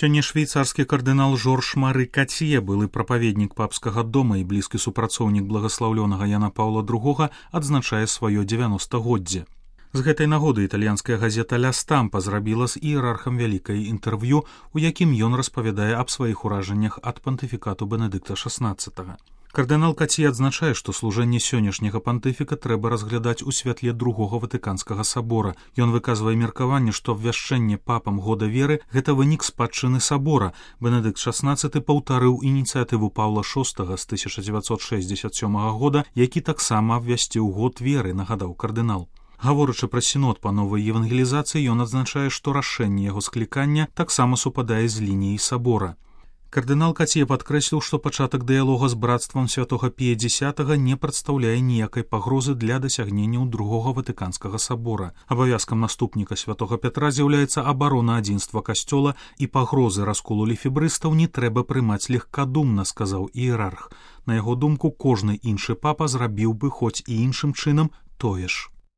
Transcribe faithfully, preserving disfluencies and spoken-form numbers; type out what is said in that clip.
Сёння швейцарскі кардынал Жорж Мары Кацье, былы прапаведнік папскага дома і блізкі супрацоўнік благаслаўлёнага Яна Паўла другога, адзначае сваё дзевяностагоддзе. З гэтай нагоды італьянская газета «Ля Стампа» зрабіла з іерархам вялікае інтэрв'ю, у якім ён распавядае аб сваіх уражаннях ад пантыфікату Бенедыкта шаснаццатага. Кардынал Кацье адзначае, што служэнне сённяшняга пантыфіка трэба разглядаць у святле другога Ватыканскага сабора. Ён выказвае меркаванне, што абвяшчэнне папам года веры – гэта вынік спадчыны сабора. Бенедыкт шаснаццаты паўтарыў ініцыятыву Паўла шостага з тысяча дзевяцьсот шэсцьдзесят сёмага года, які таксама абвясціў год веры, нагадаў кардынал. Гаворачы пра сінод па новай евангелізацыі, ён адзначае, што рашэнне яго склікання таксама супадае з лініяй сабора. Кардынал Кацье падкрэсліў, што пачатак дыялога з брацтвам святога Пія дзесятага не прадстаўляе ніякай пагрозы для дасягненняў другога Ватыканскага сабора. Абавязкам наступніка святога Пятра з'яўляецца абарона адзінства касцёла, і пагрозы расколу лефебрыстаў не трэба прымаць легкадумна, сказаў іерарх. На яго думку, кожны іншы папа зрабіў бы хоць і іншым чынам тое ж.